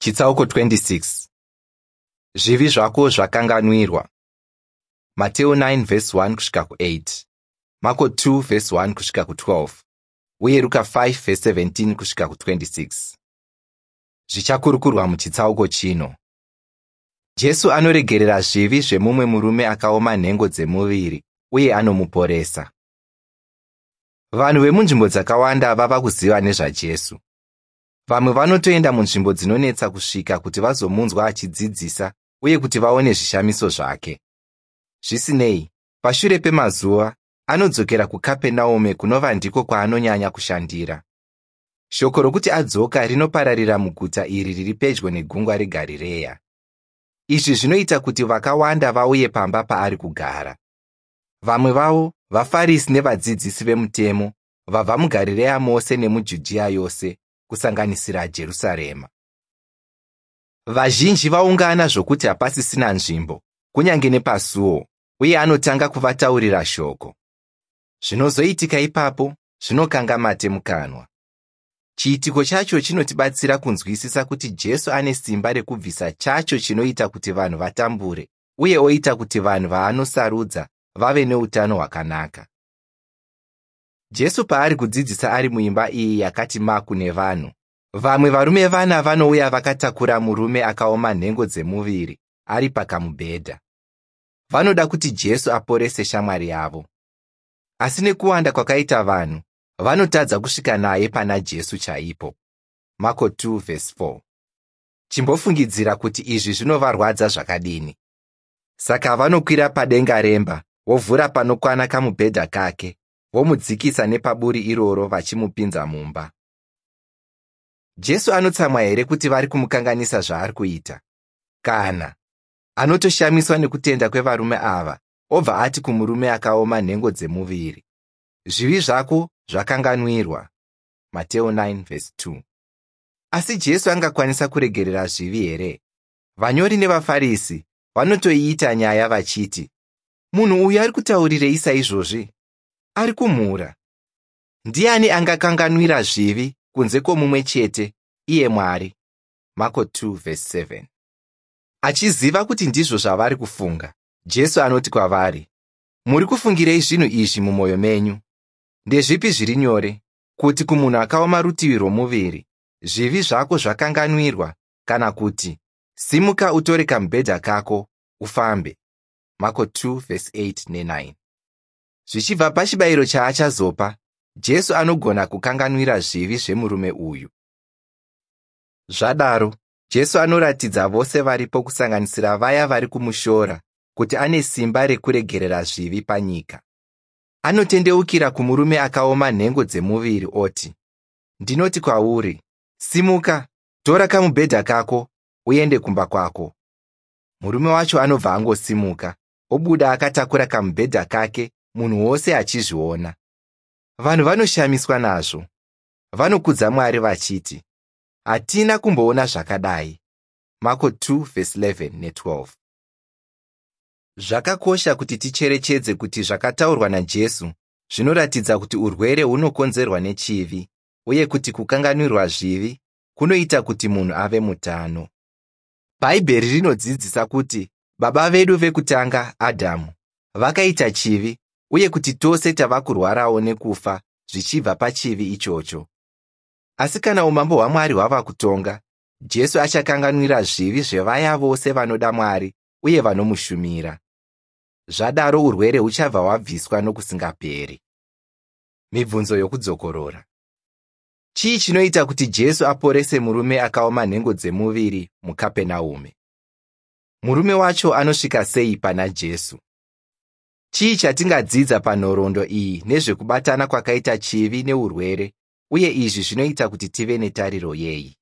Chitsauko 26. Zvivi zvako zvakanganwirwa. Mateo 9 vhesi 1 kusvika ku8, Mako 2 vhesi 1 kusvika ku12 uye Ruka 5 vhesi 17 kusvika ku26. Zvichakurukurwa muchitsauko chino. Jesu anoregerera zvivi zvemumwe murume akaoma nhengo dzemuviri uye anomuporesa. Vanhu vemunzvimbo dzakawanda vava kuziva nezvaJesu. Vamwe vanotoenda munzvimbo dzinonetsa kusvika kuti vazomunzwa achidzidzisa uye kuti vaone zvishamiso zvake. Zvisinei, pashure pemazuva, anodzokera kuKapenaume kunova ndiko kwaanonyanya kushandira. Shoko rokuti adzoka rinopararira muguta iri riri pedyo negungwa reGarireya. Izvi zvinoita kuti vakawanda vauye pamba paari kugara. Vamwe vavo vaFarisi nevadzidzisi vemutemo vabva muGarireya mose nemuJudhiya yose, kusanganisira Jerusarema. Vazhinji vaungana zvokuti hapasisina nzvimbo, kunyange nepasuo, uye anotanga kuvataurira shoko. Zvinozoitika ipapo zvinokanga mate mukanwa. Chiitiko chacho chinotibatsira kunzwisisa kuti Jesu ane simba rekubvisa chacho chinoita kuti vanhu vatambure uye oita kuti vanhu vaanosarudza vave neutano hwakanaka. Jesu paari kudzidzisa ari muimba iyi yakati maku nevanhu, vamwe varume vana vanouya vakatakura murume akaoma nhengo dzemuviri ari pakamubhedha. Vanoda kuti Jesu aporese shamwari yavo. Asi nekuwanda kwakaita vanhu, vanotadza kusvika naye pana Jesu chaipo. Mako 2:4. Chimbofungidzira kuti izvi zvinovarwadza zvakadini. Saka vanokwira padenga remba, vovhura panokwana kamubhedha kake, vomudzikisa nepaburi iroro vachimupinza mumba. Jesu anotsamwa here kuti vari kumukanganisa zvaari kuita? Kana. Anotoshamiswa nekutenda kwevarume ava, obva ati kumurume akaoma nhengo dzemuviri, zvivi zvako zvakanganwirwa. Mateo 9:2. Asi Jesu angakwanisa kuregerera zvivi here? Vanyori nevaFarisi vanotoiita nyaya vachiti, munhu uyu ari kutaurirei saizvozvi? Ari kumhura. Ndiani angakanganwira zvivi kunze kwomumwe chete, iye Mwari? Mako 2:7. Achiziva kuti ndizvo zvavari kufunga, Jesu anoti kwavari, muri kufungirei zvinhu izvi mumwoyo menyu? Ndezvipi zviri nyore, kuti kumunhu akaoma rutivi rwomuviri, zvivi zvako zvakanganwirwa, kana kuti, simuka utore kamubhedha kako, ufambe? Mako 2:8 ne9. Zvichibva pachibayiro chaachazopa, Jesu anogona kukanganwira zvivi zvemurume uyu. Zvadaro, Jesu anoratidza vose varipo kusanganisira vaya vari kumushora kuti ane simba rekuregerera zvivi panyika. Anotendeukira kumurume akaoma nhengo dzemuviri oti, ndinoti kwauri, simuka, tora kamubhedha kako, uende kumba kwako. Murume wacho anobva angosimuka, obuda akatakura kamubhedha kake, munhu wose achizviona. Vanhu vanoshamiswa nazvo. Vanokudza Mwari vachiti, hatina kumboona zvakadai. Mako 2:11 ne12. Zvakakosha kuti ticherechedze kuti zvakataurwa naJesu zvinoratidza kuti urwere hunokonzerwa nechivi uye kuti kukanganwirwa zvivi kunoita kuti munhu ave mutano. Bhaibheri rinodzidzisa kuti baba vedu vekutanga, Adhamu, vakaita chivi uye kuti tose tava kurwarawo nekufa zvichibva pachivi ichocho. Asi kana umambo hwaMwari hwava kutonga, Jesu achakanganwira zvivi zvevaya vose vanoda Mwari uye vanomushumira. Zvadaro urwere huchabva hwabviswa nokusingaperi. Mibvunzo yokudzokorora. Chii chinoita kuti Jesu aporese murume akaoma nhengo dzemuviri muKapenaume? Murume wacho anosvika sei pana Jesu? Chii chatingadzidza panhoroondo iyi nezvekubatana kwakaita chivi neurwere, uye izvi zvinoita kuti tive netariro yei?